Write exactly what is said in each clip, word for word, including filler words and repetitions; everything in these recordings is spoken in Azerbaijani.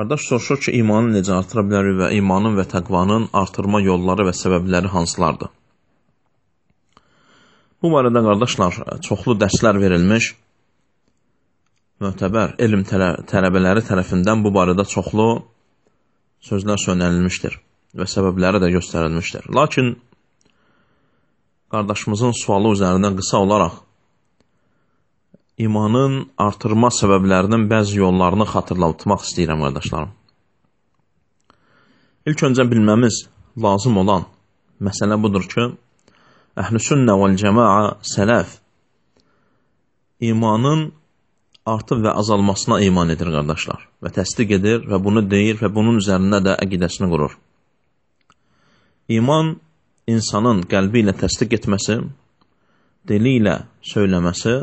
Qardaş soruşur ki, imanı necə artıra bilərik və imanın və təqvanın artırma yolları və səbəbləri hansılardır? Bu barədə qardaşlar, çoxlu dərslər verilmiş, möhtəbər elm tələbələri tərəfindən bu barədə çoxlu sözlər söylənilmişdir və səbəbləri də göstərilmişdir. Lakin qardaşımızın sualı üzərindən qısa olaraq imanın artırma səbəblərinin bəzi yollarını xatırlatmaq istəyirəm, qardaşlarım. İlk öncə bilməmiz lazım olan məsələ budur ki, Əhl-i Sünnə vəl-Cəmaa sələf imanın artıb və azalmasına iman edir, qardaşlar. Və təsdiq edir və bunu deyir və bunun üzərində də əqidəsini qurur. İman, insanın qəlbi ilə təsdiq etməsi, dili ilə söyləməsi,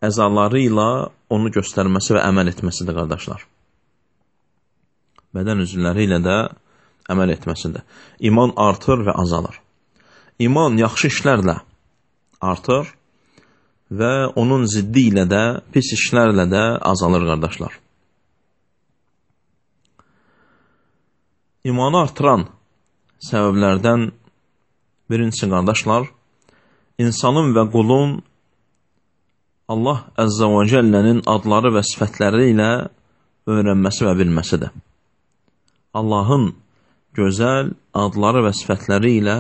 əzaları ilə onu göstərməsi və əməl etməsidir, qardaşlar. Bədən üzvləri ilə də əməl etməsidir. İman artır və azalır. İman yaxşı işlərlə artır və onun ziddi ilə də, pis işlərlə də azalır, qardaşlar. İmanı artıran səbəblərdən birincisi, qardaşlar, insanın və qulun Allah Əzzə və Cəllənin adları və sifətləri ilə öyrənməsi və bilməsidir. Allahın gözəl adları və sifətləri ilə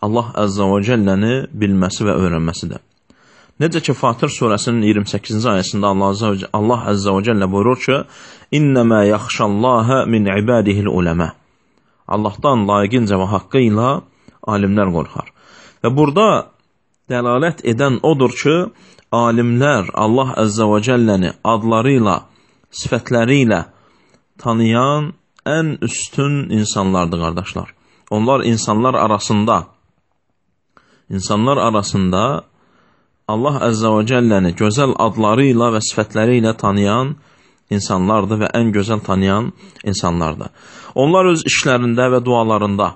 Allah Əzzə və Cəlləni bilməsi və öyrənməsidir. Necə ki, Fatir surəsinin iyirmi səkkizinci ayəsində Allah Əzzə və Cəllə buyurur ki, İnnəmə yaxşallahə min ibadihil uləmə. Allahdan layiqincə və haqqı ilə alimlər qorxar. Və burada dəlalət edən odur ki, alimlər Allah Əzzə və Cəlləni adları ilə, sifətləri ilə tanıyan ən üstün insanlardır, qardaşlar. Onlar insanlar arasında, insanlar arasında Allah Əzzə və Cəlləni gözəl adları ilə və sifətləri ilə tanıyan insanlardır və ən gözəl tanıyan insanlardır. Onlar öz işlərində və dualarında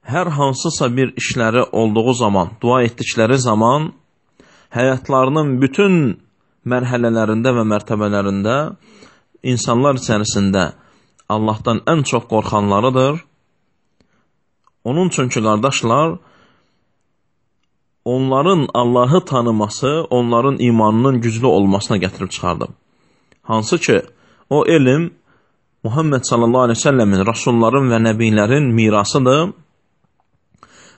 hər hansısa bir işləri olduğu zaman, dua etdikləri zaman həyatlarının bütün mərhələlərində və mərtəbələrində insanlar içərisində Allahdan ən çox qorxanlarıdır. Onun üçün ki, qardaşlar, onların Allahı tanıması, onların imanının güclü olmasına gətirib çıxardım. Hansı ki, o elm Muhammed sallallahu aleyhi ve sellemin, rasulların və nəbilərin mirasıdır.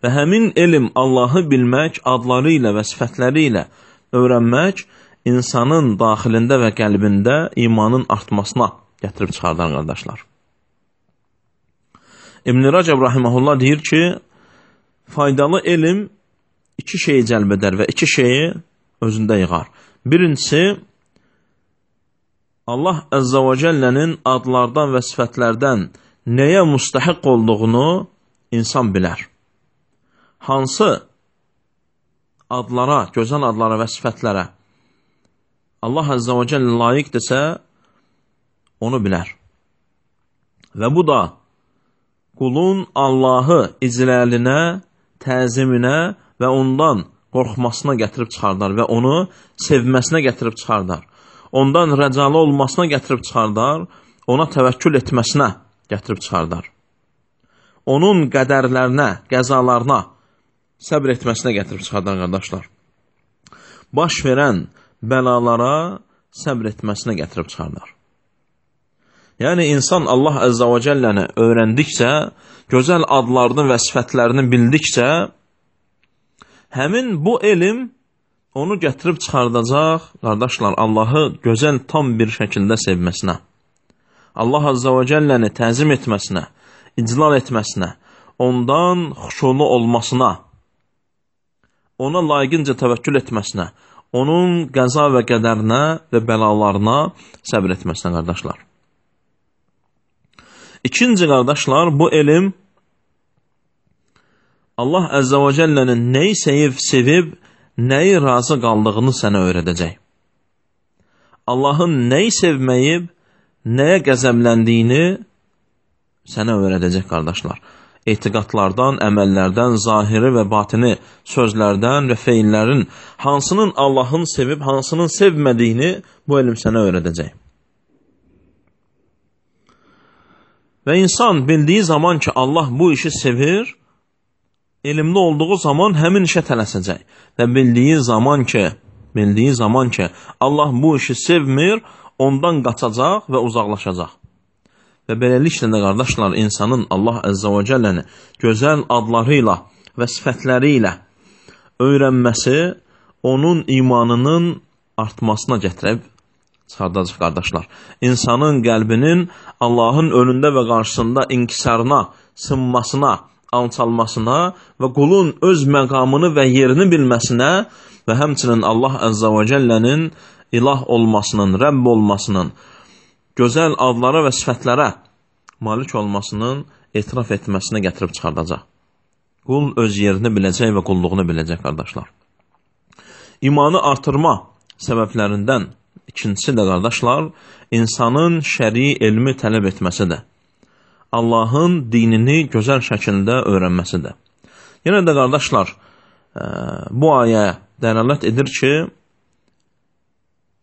Və həmin elm Allahı bilmək, adları ilə və sifətləri ilə öyrənmək, insanın daxilində və qəlbində imanın artmasına gətirib çıxardan, qardaşlar. İbn-i Rəcəb rahiməhullah deyir ki, faydalı elm iki şeyi cəlb edər və iki şeyi özündə yığar. Birincisi, Allah Əzzə və Cəllənin adlardan və sifətlərdən nəyə müstəhiq olduğunu insan bilər. Hansı adlara, gözəl adlara və sifətlərə Allah Əzzə və Cəllə layiqdirsə, onu bilər. Və bu da qulun Allahı icləlinə, təziminə və ondan qorxmasına gətirib çıxardar və onu sevməsinə gətirib çıxardar. Ondan rəcalı olmasına gətirib çıxardar, ona təvəkkül etməsinə gətirib çıxardar. Onun qədərlərinə, qəzalarına səbr etməsinə gətirib çıxardar, qardaşlar. Baş verən bəlalara səbr etməsinə gətirib çıxardar. Yəni, insan Allah Əzzə və Cəlləni öyrəndikcə, gözəl adlarını və sifətlərini bildikcə, həmin bu elm onu gətirib çıxardacaq, qardaşlar, Allahı gözəl tam bir şəkildə sevməsinə, Allah Əzzə və Cəlləni təzim etməsinə, iclal etməsinə, ondan xuşulu olmasına, ona layiqincə təvəkkül etməsinə, onun qəza və qədərinə və bəlalarına səbr etməsinə, qardaşlar. İkinci, qardaşlar, bu elm Allah Əzzə və Cəllənin nəyi sevib, sevib, nəyi razı qaldığını sənə öyrədəcək. Allahın nəyi sevməyib, nəyə qəzəbləndiyini sənə öyrədəcək, qardaşlar. etiqadlardan, əməllərdən, zahiri və batini sözlərdən və feillərin hansının Allahın sevib, hansının sevmədiyini bu elm sənə öyrədəcək. Və insan bildiyi zaman ki, Allah bu işi sevir, elmli olduğu zaman həmin işə tələsəcək. Və bildiyi zaman ki, bildiyi zaman ki, Allah bu işi sevmir, ondan qaçacaq və uzaqlaşacaq. Və beləliklə də qardaşlar, insanın Allah Əzzə və Cəlləni gözəl adları ilə və sifətləri ilə öyrənməsi onun imanının artmasına gətirib çıxardacaq qardaşlar. İnsanın qəlbinin Allahın önündə və qarşısında inkisarına, sınmasına, alçalmasına və qulun öz məqamını və yerini bilməsinə və həmçinin Allah Əzzə və Cəllənin ilah olmasının, Rəbb olmasının, gözəl adlara və sifətlərə malik olmasının etiraf etməsinə gətirib çıxardacaq. Qul öz yerini biləcək və qulluğunu biləcək qardaşlar. İmanı artırma səbəblərindən ikincisi də qardaşlar, insanın şəri elmi tələb etməsidir. Allahın dinini gözəl şəkildə öyrənməsidir. Yenə də qardaşlar, bu ayə dəlalət edir ki,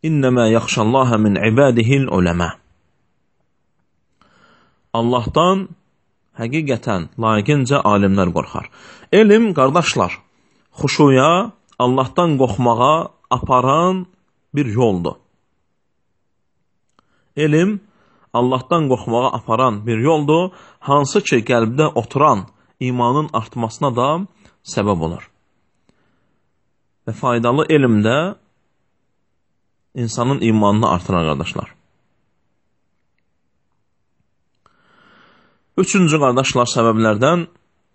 İnnəmə yaxşallaha min ibadihil uləmə. Allahdan həqiqətən, layiqincə alimlər qorxar. Elm, qardaşlar, xuşuya, Allahdan qorxmağa aparan bir yoldur. Elm, Allahdan qorxmağa aparan bir yoldur, hansı ki, qəlbdə oturan imanın artmasına da səbəb olur. Və faydalı elmdə insanın imanını artırar, qardaşlar. Üçüncü, qardaşlar, səbəblərdən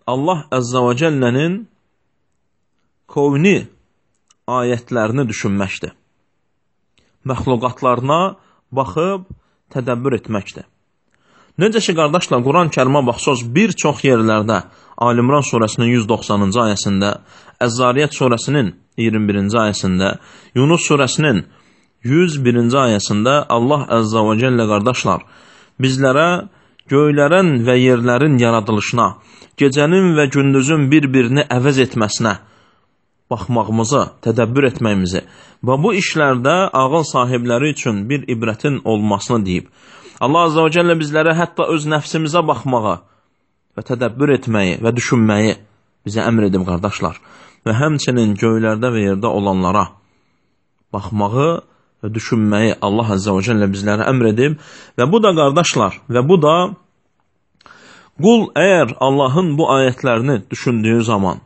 Allah Əzzə və Cəllənin kovni ayətlərini düşünməkdir. Məxluqatlarına baxıb tədəbbür etməkdir. Necə ki, qardaşlar, Quran-Kərimə baxsaq, bir çox yerlərdə Ali-İmran surəsinin yüz doxsanıncı ayəsində, Əz-Zariyyət surəsinin iyirmi birinci ayəsində, Yunus surəsinin yüz birinci ayəsində Allah Əzzə və Cəllə, qardaşlar, bizlərə göylərin və yerlərin yaradılışına, gecənin və gündüzün bir-birini əvəz etməsinə baxmağımızı, tədəbbür etməyimizi və bu işlərdə ağıl sahibləri üçün bir ibrətin olmasını deyib. Allah Azza və Cəllə bizlərə hətta öz nəfsimizə baxmağı və tədəbbür etməyi və düşünməyi bizə əmr edib, qardaşlar. Və həmçinin göylərdə və yerdə olanlara baxmağı və düşünməyi Allah Azza və Cəllə bizlərə əmr edib. Və bu da, qardaşlar, və bu da qul əgər Allahın bu ayətlərini düşündüyü zaman,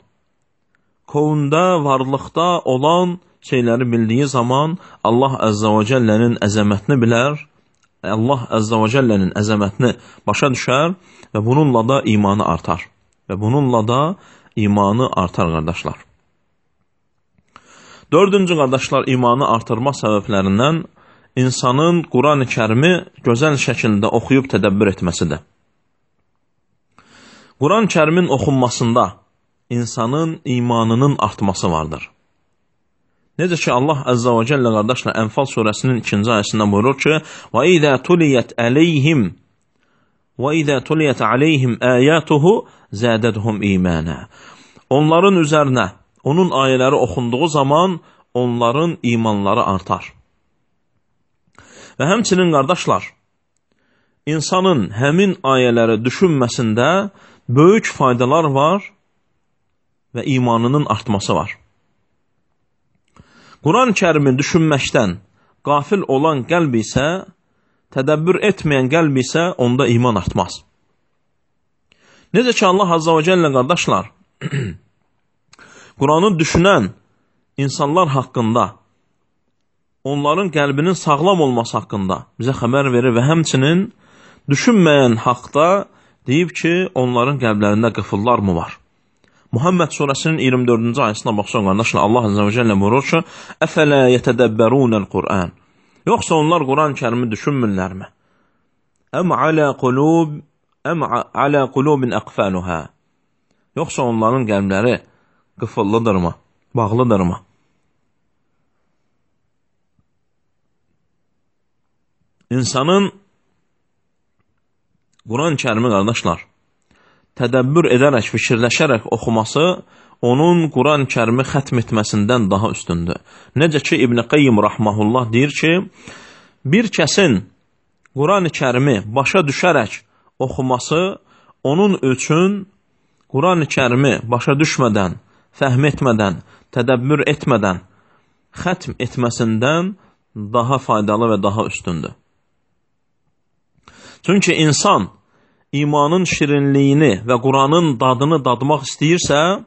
kovunda, varlıqda olan şeyləri bildiyi zaman Allah Əzzə və Cəllənin əzəmətini bilər, Allah Əzzə və Cəllənin əzəmətini başa düşər və bununla da imanı artar. Və bununla da imanı artar, qardaşlar. Dördüncü, qardaşlar, imanı artırma səbəblərindən insanın Quran-ı Kərimi gözəl şəkildə oxuyub tədəbbür etməsidir. Quran-ı Kərimin oxunmasında insanın imanının artması vardır. Necə ki, Allah Əzzə və Cəllə, qardaşlar, Ənfal surəsinin ikinci ayəsində buyurur ki, وَإِذَا تُلِيَتْ عَلَيْهِمْ وَإِذَا تُلِيَتْ عَلَيْهِمْ آيَاتُهُ زَادَتْهُمْ إِيمَانًا. Onların üzərinə onun ayələri oxunduğu zaman onların imanları artar. Və həmçinin, qardaşlar, insanın həmin ayələri düşünməsində böyük faydalar var və imanının artması var. Quran-ı Kərimi düşünməkdən qafil olan qəlb isə, tədəbbür etməyən qəlb isə onda iman artmaz. Necə ki, Allah Azza və Cəllə, qardaşlar, Quranı düşünən insanlar haqqında, onların qəlbinin sağlam olması haqqında bizə xəbər verir və həmçinin düşünməyən haqda deyib ki, onların qəlblərində qıfıllar mı var? Muhammed surəsinin iyirmi dördüncü ayəsində baxsaq, qardaşlar, Allah Azza və Cəllə buyurur ki, Əfələ yətədəbbərunəl Qur'an. Yoxsa onlar Quran-ı Kərimi düşünmürlərmi? Əm alə qulub, əm alə qulubin əqfəluhə. Yoxsa onların qəlbləri qıfıllıdırmı, bağlıdırmı? İnsanın Quran-ı Kərimi, qardaşlar, tədəbbür edərək, fikirləşərək oxuması onun Quran-ı Kərimi xətm etməsindən daha üstündür. Necə ki, İbn Qayyim rahmehullah deyir ki, bir kəsin Quran-ı Kərimi başa düşərək oxuması onun üçün Quran-ı Kərimi başa düşmədən, fəhm etmədən, tədəbbür etmədən, xətm etməsindən daha faydalı və daha üstündür. Çünki insan imanın şirinliyini və Quranın dadını dadmaq istəyirsə,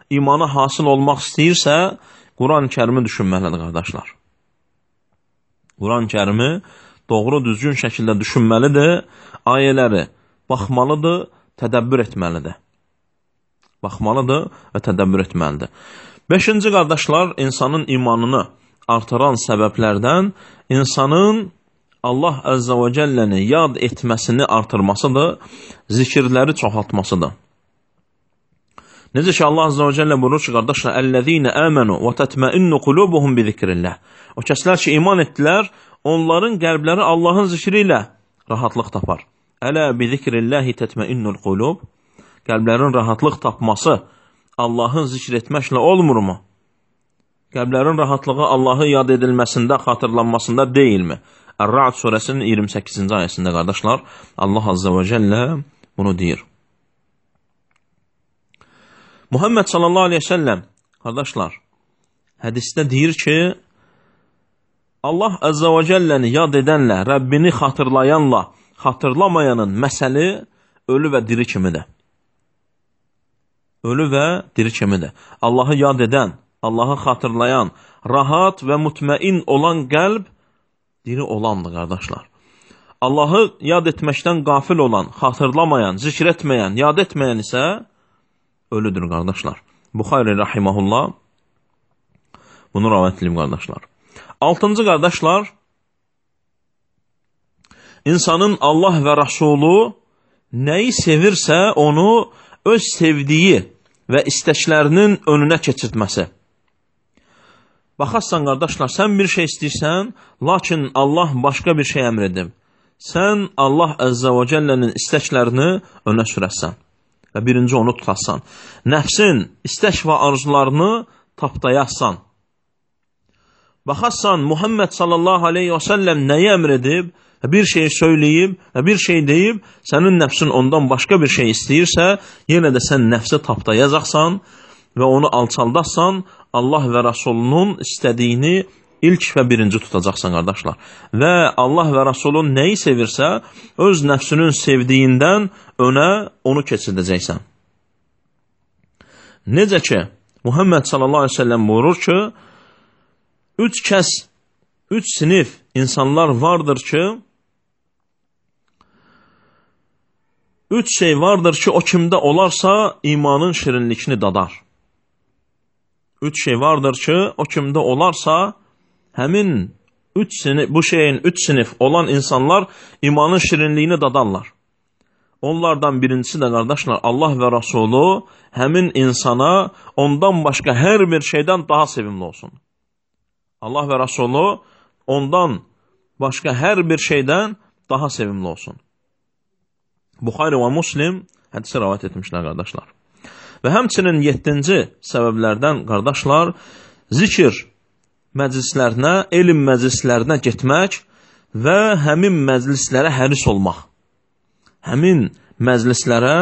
imana hasıl olmaq istəyirsə, Quran-ı Kərimi düşünməlidir, qardaşlar. Quran-ı Kərimi doğru, düzgün şəkildə düşünməlidir, ayələri baxmalıdır, tədəbbür etməlidir. Baxmalıdır və tədəbbür etməlidir. Beşinci, qardaşlar, insanın imanını artıran səbəblərdən insanın Allah Əzzə və Cəlləni yad etməsini artırmasıdır, zikirləri çoxaltmasıdır. Necə ki, Allah Əzzə və Cəllə buyurur ki, qardaşlar, Əl-ləzīnə əmənu və tətməinnu qulubuhum bi zikrillah. O kəslər ki, iman etdilər, onların qəlbləri Allahın zikri ilə rahatlıq tapar. Ələ bi zikrillahi tətməinnul qulub. Qəlblərin rahatlıq tapması Allahın zikr etməklə olmurmu? Qəlblərin rahatlığı Allahı yad edilməsində, xatırlanmasında deyilmi? Ər-Ra'd surəsinin iyirmi səkkizinci ayəsində, qardaşlar, Allah Azza və Cəllə bunu deyir. Muhammed sallallahu aleyhi ve sellem, qardaşlar, hədisdə deyir ki, Allah Azza və Cəlləni yad edənlə, Rəbbini xatırlayanla, xatırlamayanın məsəli ölü və diri kimidir. Ölü və diri kimidir. Allahı yad edən, Allahı xatırlayan, rahat və mutməin olan qəlb diri olandır, qardaşlar. Allahı yad etməkdən qafil olan, xatırlamayan, zikr etməyən, yad etməyən isə ölüdür, qardaşlar. Buxari rahiməhullah bunu rəvayət edib, qardaşlar. Altıncı, qardaşlar, insanın Allah və Rasulü nəyi sevirsə, onu öz sevdiyi və istəklərinin önünə keçirtməsi. Baxarsan, qardaşlar, sən bir şey istəyirsən, lakin Allah başqa bir şey əmr edib. Sən Allah Əzzə və Cəllənin istəklərini önə sürəsən və birinci onu tutasan. Nəfsin istək və arzularını tapdayarsan. Baxarsan, Muhammed sallallahu aleyhi və səlləm nəyi əmr edib, bir şey söyləyib, bir şey deyib, sənin nəfsin ondan başqa bir şey istəyirsə, yenə də sən nəfsi tapdayacaqsan və onu alçaldaqsan, Allah və Rasulunun istədiyini ilk və birinci tutacaqsan, qardaşlar. Və Allah və Rasulun nəyi sevirsə, öz nəfsinin sevdiyindən önə onu keçirdəcəksən. Necə ki, Muhammed sallallahu aleyhi ve sellem buyurur ki, üç kəs, üç sinif insanlar vardır ki, üç şey vardır ki, o kimdə olarsa imanın şirinlikini dadar. Üç şey vardır ki, o kimdə olarsa, həmin üç sinif, bu şeyin üç sinif olan insanlar imanın şirinliyini dadarlar. Onlardan birincisi də, qardaşlar, Allah və Rasulü həmin insana ondan başqa hər bir şeydən daha sevimli olsun. Allah və Rasulü ondan başqa hər bir şeydən daha sevimli olsun. Buxari və Muslim hədisi rəvayət etmişlər, qardaşlar. Və həmçinin yeddinci səbəblərdən, qardaşlar, zikr məclislərinə, elm məclislərinə getmək və həmin məclislərə həris olmaq. Həmin məclislərə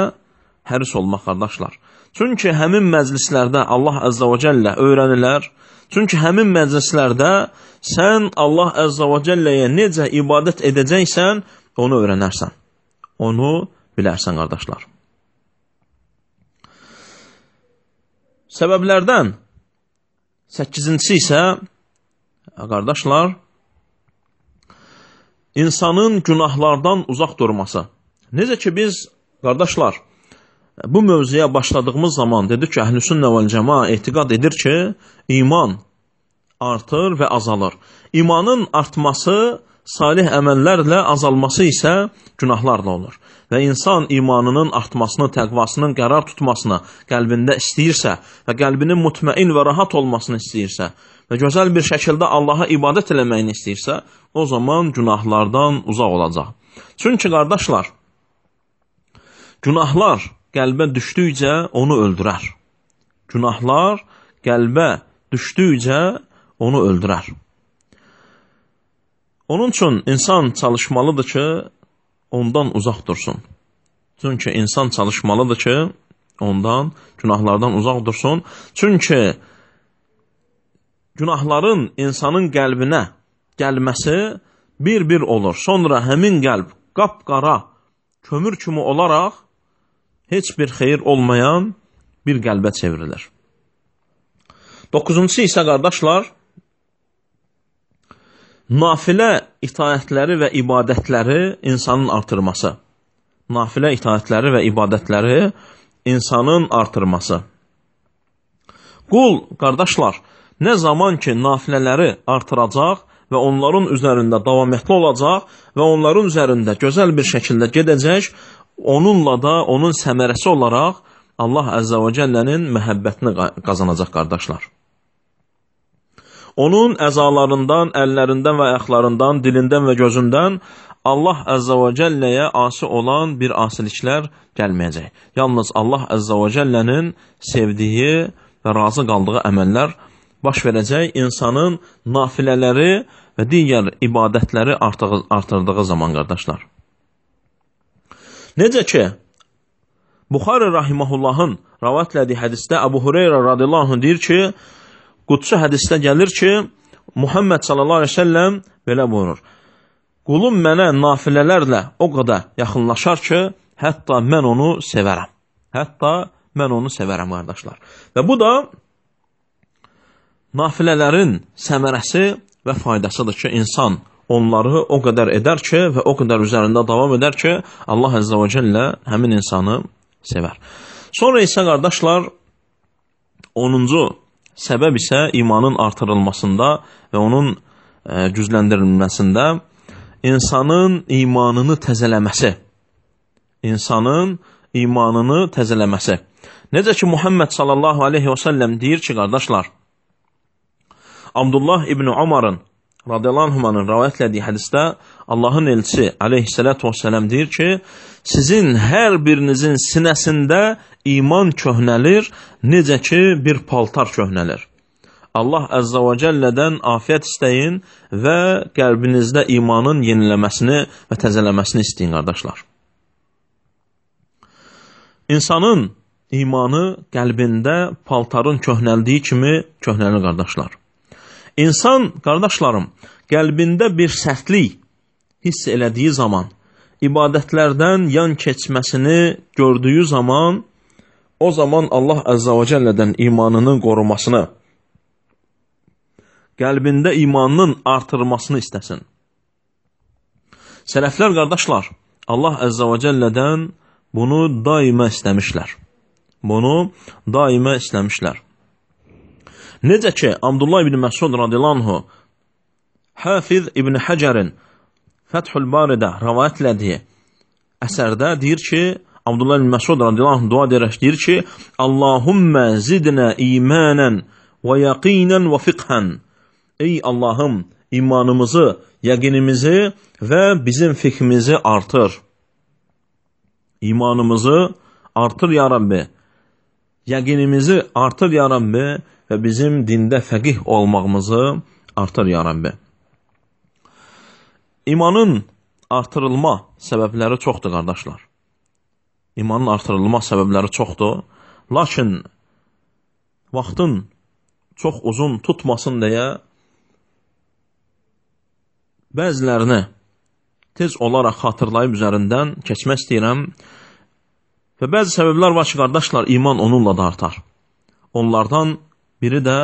həris olmaq, qardaşlar. Çünki həmin məclislərdə Allah Əzzə və Cəllə öyrənilər. Çünki həmin məclislərdə sən Allah Əzzə və Cəlləyə necə ibadət edəcəksən, onu öyrənərsən. Onu bilərsən, qardaşlar. Səbəblərdən səkkizincisi isə, qardaşlar, insanın günahlardan uzaq durması. Necə ki biz, qardaşlar, bu mövzuya başladığımız zaman dedik ki, Əhlüsünnə vəl Cəmaa etiqad edir ki, iman artır və azalır. İmanın artması, salih əməllərlə azalması isə günahlarla olur. Və insan imanının artmasını, təqvasının qərar tutmasını qəlbində istəyirsə və qəlbinin mutməin və rahat olmasını istəyirsə və gözəl bir şəkildə Allaha ibadət eləməyini istəyirsə, o zaman günahlardan uzaq olacaq. Çünki, qardaşlar, günahlar qəlbə düşdükcə onu öldürər. Günahlar qəlbə düşdükcə onu öldürər. Onun üçün insan çalışmalıdır ki, ondan uzaq dursun. Çünki insan çalışmalıdır ki, ondan günahlardan uzaq dursun. Çünki günahların insanın qəlbinə gəlməsi bir-bir olur. Sonra həmin qəlb qapqara, kömür kimi olaraq heç bir xeyir olmayan bir qəlbə çevrilir. Doqquzuncusu isə qardaşlar, nafilə itaətləri və ibadətləri insanın artırması. Nafilə itaətləri və ibadətləri insanın artırması. Qul, qardaşlar, nə zaman ki, nafilələri artıracaq və onların üzərində davamətli olacaq və onların üzərində gözəl bir şəkildə gedəcək, onunla da onun səmərəsi olaraq Allah Əzzə və Cəllənin məhəbbətini qazanacaq qardaşlar. Onun əzalarından, əllərindən və ayaqlarından, dilindən və gözündən Allah Əzzə və Cəlləyə asi olan bir asiliklər gəlməyəcək. Yalnız Allah Əzzə və Cəllənin sevdiyi və razı qaldığı əməllər baş verəcək insanın nafilələri və digər ibadətləri artırdığı zaman qardaşlar. Necə ki, Buxari Rahimahullahın rəvayət etdiyi hədisdə Əbu Hüreyrə radiyallahu anh deyir ki, qudsi hədisdə gəlir ki, Muhammed sallallahu aleyhi ve sellem belə buyurur. Qulum mənə nafilələrlə o qədər yaxınlaşar ki, hətta mən onu sevərəm. Hətta mən onu sevərəm, qardaşlar. Və bu da nafilələrin səmərəsi və faydasıdır ki, insan onları o qədər edər ki və o qədər üzərində davam edər ki, Allah Əzzə və Cəllə həmin insanı sevər. Sonra isə, qardaşlar, onuncu səbəb isə imanın artırılmasında və onun e, gücləndirilməsində insanın imanını təzələməsi. İnsanın imanını təzələməsi. Necə ki, Muhammed sallallahu aleyhi və səlləm deyir ki, qardaşlar, Abdullah ibn Umarın radiyallahu anhumanın rəvayət etdiyi hədisdə Allahın elçisi aleyhissalatu vesselam deyir ki, sizin hər birinizin sinəsində iman köhnəlir, necə ki bir paltar köhnəlir. Allah Əzzə və Cəllədən afiyət istəyin və qəlbinizdə imanın yeniləməsini və təzələməsini istəyin, qardaşlar. İnsanın imanı qəlbində paltarın köhnəldiyi kimi köhnəlir, qardaşlar. İnsan, qardaşlarım, qəlbində bir sərtlik hiss elədiyi zaman, ibadətlərdən yan keçməsini gördüyü zaman, o zaman Allah Əzzə və Cəllədən imanının qorumasını, qəlbində imanının artırılmasını istəsin. Sələflər, qardaşlar, Allah Əzzə və Cəllədən bunu daima istəmişlər. Bunu daima istəmişlər. Necə ki, Abdullah ibn Məsud radiyallahu anhu Hafiz ibn Həcərin Fəthül Baridə rəvayət elədiyi əsərdə deyir ki, Abdullah ibn Məsud radiyallahu anhu dua edərək deyir ki, Allahümmə zidnə imanən və yaqinən və fiqhən. Ey Allahım, imanımızı, yəqinimizi və bizim fiqhimizi artır. İmanımızı artır ya Rabbi. Yəqinimizi artır ya Rabbi və bizim dində fəqih olmağımızı artır ya Rabbi. İmanın artırılma səbəbləri çoxdur, qardaşlar. İmanın artırılma səbəbləri çoxdur. Lakin vaxtın çox uzun tutmasın deyə bəzilərini tez olaraq xatırlayıb üzərindən keçmək istəyirəm. Və bəzi səbəblər var ki, qardaşlar, iman onunla da artar. Onlardan biri də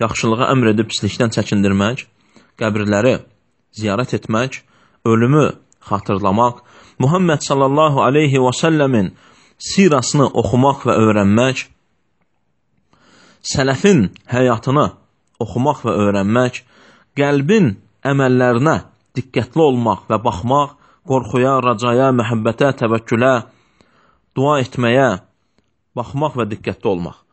yaxşılığa əmr edib pislikdən çəkindirmək, qəbirləri ziyarət etmək, ölümü xatırlamaq, Muhammed sallallahu aleyhi və səlləmin sirasını oxumaq və öyrənmək, sələfin həyatını oxumaq və öyrənmək, qəlbin əməllərinə diqqətli olmaq və baxmaq, qorxuya, racaya, məhəbbətə, təvəkkülə, dua etməyə, baxmaq və diqqətli olmaq.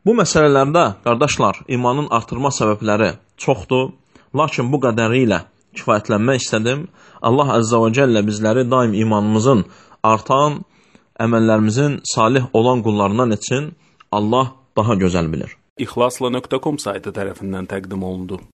Bu məsələlərdə, qardaşlar, imanın artırma səbəbləri çoxdur, lakin bu qədəri ilə kifayətlənmək istədim. Allah Əzzə və Cəllə bizləri daim imanımızın artan, əməllərimizin salih olan qullarından etsin. Allah daha gözəl bilir. İxlasla nöqtə com saytı tərəfindən təqdim olundu.